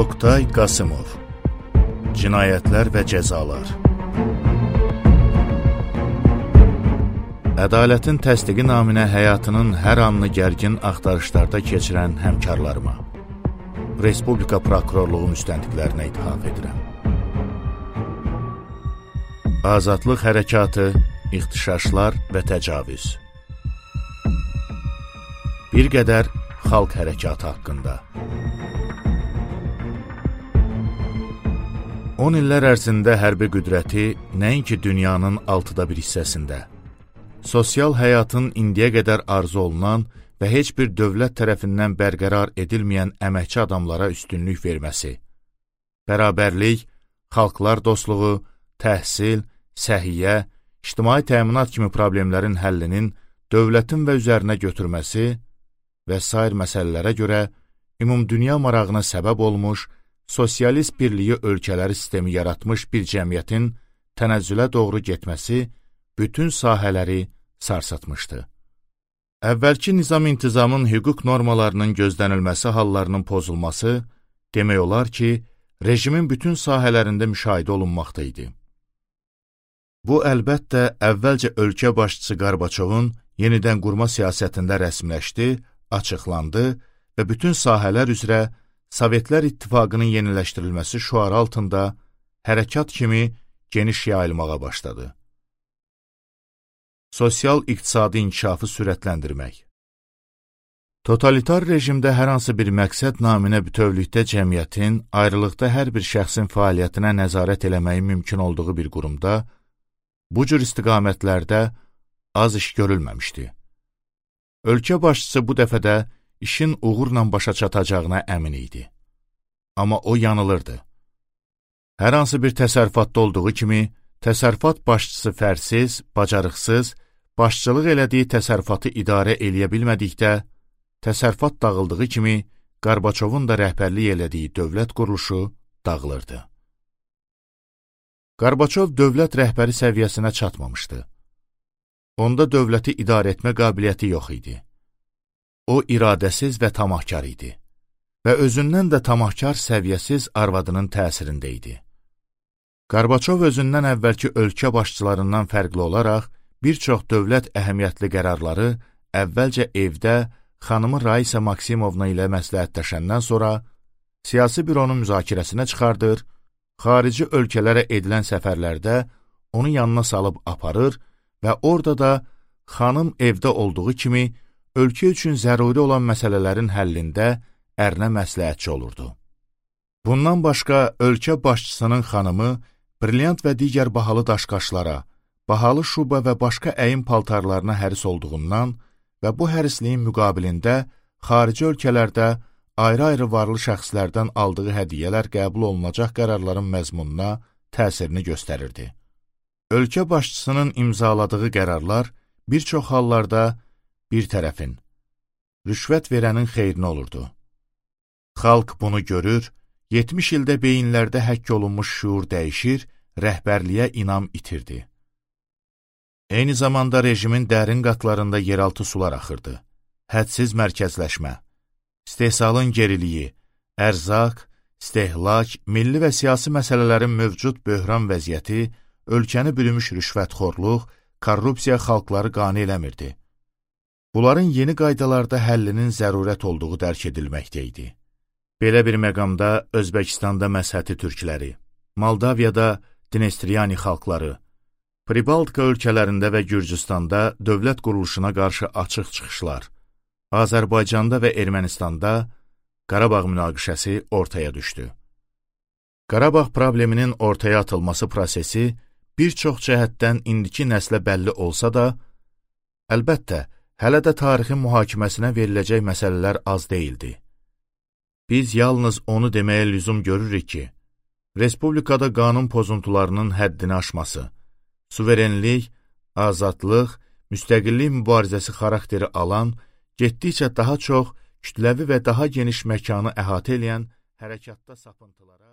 Oktay Qasımov. Cinayətlər və cəzalar. Ədalətin təsdiqi naminə həyatının hər anını gərgin axtarışlarda keçirən həmkarlarıma, Respublika Prokurorluğu müstəntiqlərinə ithaf edirəm. Azadlıq hərəkatı, ixtişaşlar və təcavüz. Bir qədər xalq hərəkatı haqqında. 10 illər ərzində hərbi qüdrəti nəinki dünyanın 1/6 hissəsində, sosial həyatın indiyə qədər arzu olunan və heç bir dövlət tərəfindən bərqərar edilməyən əməkçi adamlara üstünlük verməsi, bərabərlik, xalqlar dostluğu, təhsil, səhiyyə, ictimai təminat kimi problemlərin həllinin dövlətin və üzərinə götürməsi və sair məsələlərə görə ümumdünya marağına səbəb olmuş, sosialist birliyi ölkələri sistemi yaratmış bir cəmiyyətin tənəzzülə doğru getməsi bütün sahələri sarsıtmışdı. Əvvəlki nizam-intizamın hüquq normalarının gözlənilməsi hallarının pozulması demək olar ki, rejimin bütün sahələrində müşahidə olunmaqda idi. Bu, əlbəttə, əvvəlcə ölkə başçısı Qarbaçovun yenidən qurma siyasətində rəsmiləşdi, açıqlandı və bütün sahələr üzrə Sovetlər İttifaqının yeniləşdirilməsi şüarı altında hərəkat kimi geniş yayılmağa başladı. Sosial-iqtisadi inkişafı sürətləndirmək. Totalitar rejimdə hər hansı bir məqsəd naminə bütövlükdə cəmiyyətin, ayrılıqda hər bir şəxsin fəaliyyətinə nəzarət eləməyi mümkün olduğu bir qurumda, bu cür istiqamətlərdə az iş görülməmişdi. Ölkə başçısı bu dəfədə işin uğurla başa çatacağına əmin idi. Amma o yanılırdı. Hər hansı bir təsərrüfatda olduğu kimi, təsərrüfat başçısı fərsiz, bacarıqsız, başçılıq elədiyi təsərrüfatı idarə eləyə bilmədikdə, təsərrüfat dağıldığı kimi, Qarbaçovun da rəhbərlik elədiyi dövlət quruluşu dağılırdı. Qarbaçov dövlət rəhbəri səviyyəsinə çatmamışdı. Onda dövləti idarə etmə qabiliyyəti yox idi. O, iradəsiz və tamahkar idi və özündən də tamahkar səviyyəsiz arvadının təsirində idi. Qarbaçov özündən əvvəlki ölkə başçılarından fərqli olaraq bir çox dövlət əhəmiyyətli qərarları əvvəlcə evdə xanımı Raisa Maksimovna ilə məsləhətləşəndən sonra siyasi büronun müzakirəsinə çıxardır, xarici ölkələrə edilən səfərlərdə onu yanına salıb aparır və orada da xanım evdə olduğu kimi ölkə üçün zəruri olan məsələlərin həllində ərinə məsləhətçi olurdu. Bundan başqa, ölkə başçısının xanımı brilyant və digər bahalı daşqaşlara, bahalı şuba və başqa əyin paltarlarına həris olduğundan və bu hərisliyin müqabilində xarici ölkələrdə ayrı-ayrı varlı şəxslərdən aldığı hədiyyələr qəbul olunacaq qərarların məzmununa təsirini göstərirdi. Ölkə başçısının imzaladığı qərarlar bir çox hallarda bir tərəfin, rüşvət verənin xeyrinə olurdu. Xalq bunu görür, 70 ildə beyinlərdə həkk olunmuş şuur dəyişir, rəhbərliyə inam itirdi. Eyni zamanda rejimin dərin qatlarında yeraltı sular axırdı. Hədsiz mərkəzləşmə, istehsalın geriliyi, ərzaq, istehlak, milli və siyasi məsələlərin mövcud böhran vəziyyəti, ölkəni bürümüş rüşvətxorluq, korrupsiya xalqları qane eləmirdi. Bunların yeni qaydalarda həllinin zərurət olduğu dərk edilməkdə idi. Belə bir məqamda Özbəkistanda məzhəti türkləri, Moldaviyada Dnestriyani xalqları, Pribaltika ölkələrində və Gürcüstanda dövlət quruluşuna qarşı açıq çıxışlar, Azərbaycanda və Ermənistanda Qarabağ münaqişəsi ortaya düşdü. Qarabağ probleminin ortaya atılması prosesi bir çox cəhətdən indiki nəslə bəlli olsa da, əlbəttə, hələ də tarixin mühakiməsinə veriləcək məsələlər az deyildi. Biz yalnız onu deməyə lüzum görürük ki, Respublikada qanun pozuntularının həddini aşması, suverenlik, azadlıq, müstəqillik mübarizəsi xarakteri alan, getdikcə daha çox kütləvi və daha geniş məkanı əhatə eləyən hərəkatda sapıntılara